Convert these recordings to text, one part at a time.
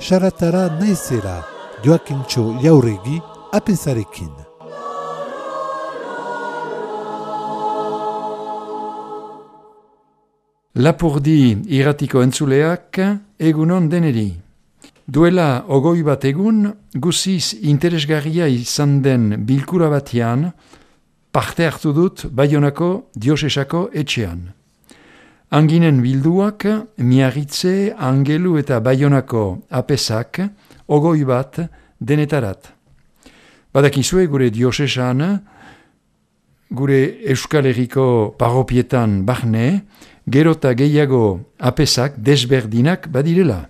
Saratara naizera, Joakintxo Jauregi, apezarekin. Lapurdi irratiko entzuleak, egunon deneri. Duela 21 egun, guziz interesgarria izan den bilkura batean, parte hartu dut Baionako diosesako etxean. Anginen bilduak, Miarritze, Angelu eta Baionako apezak, 21 denetarat. Badakizue gure diosesan, gure Euskal Herriko parropietan barne, gero eta gehiago apezak desberdinak badirela.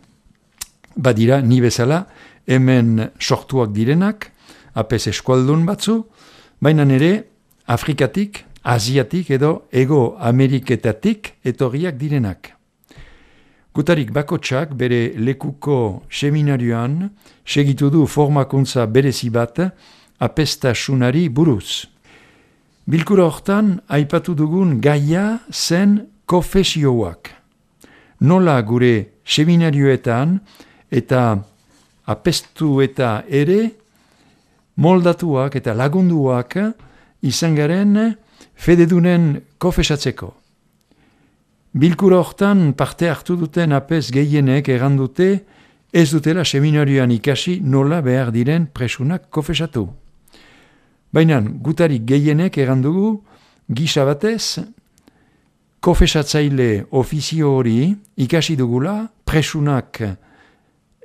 Badira ni bezala hemen sortuak direnak, apez eskualdun batzu, baina nere Afrikatik, Asiatik edo Ego Ameriketatik etorriak direnak. Gutarik bakotsak bere lekuko seminarioan segitu du formakuntza berezi bat apeztasunari buruz. Bilkura hortan aipatu dugun gaia zen konfesioak. Nola gure seminarioetan eta apestu eta ere moldatuak eta lagunduak izan garen fededunen konfesatzeko. Bilkura hortan parte hartu duten apez gehienek errandute ez dutela seminarioan ikasi nola behar diren presunak konfesatu. Baina gutarik gehienek errandugu gisa batez konfesatzaile ofizio hori ikasi dugula presunak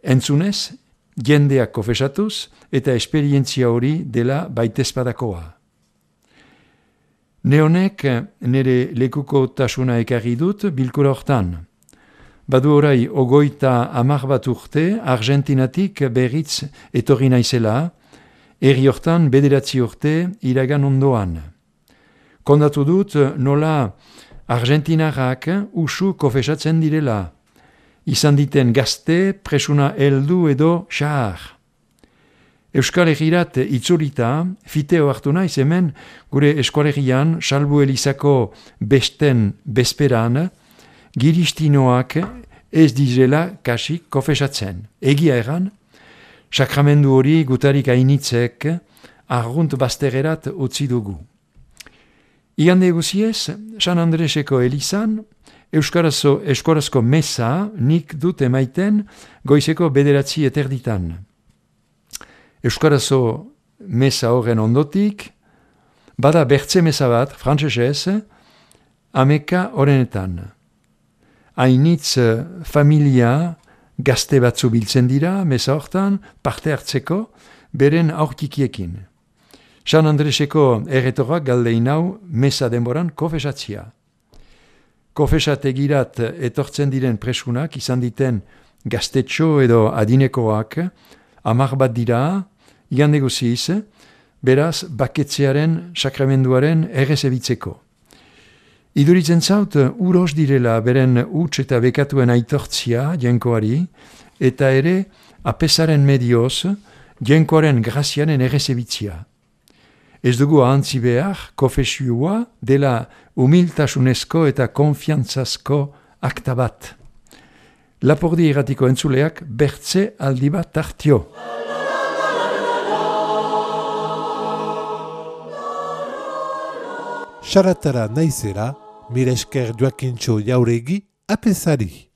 entzunez, jendeak konfesatuz eta esperientzia hori dela baitezpadakoa. Neonek nire lekuko tasuna ekarri dut bilkura hortan. Badu orai 30 bat urte Argentinatik berriz etorri naizela, herri hortan 9 urte iragan ondoan. Kondatu dut nola Argentinarrak usu konfesatzen direla, izan diten gazte, presuna heldu edo xahar. Euskal Herrirat itzulita, fiteo hartu naiz hemen, gure Eskoalegian, Salbu Elizako besten bezperan, giristinoak ez direla kasik konfesatzen. Egia eran, sakramendu hori gutarik hainitzek arrunt baztererat utzi dugu. Igande guziez, San Andreseko Elizan, Euskarazko mesa nik dut emaiten goizeko 9:30. Euskarazko mesa horren ondotik, bada bertze mesa bat, frantsesez, 11:00. Hainitz familia gazte batzu biltzen dira, mesa hortan, parte hartzeko, beren aurkikiekin. San Andreseko erretorak galdein hau mesa denboran konfesatzia. Konfesategirat etortzen diren presunak izan diten gaztetxo edo adinekoak 10 bat dira, igande guziz, beraz baketzearen sakramenduaren errezebitzeko. Iduritzen zaut uros direla beren huts eta bekatuen aitortzia jenkoari, eta ere apezaren medioz jenkoaren grazianen errezebitzia. Ez dugu ahantzi behar, konfesioa dela humiltasunezko eta konfiantzazko akta bat. Lapurdi irratiko entzuleak bertze aldi bat tartio. Saratara naizera, mire esker Joakintxo Jauregi, apezari.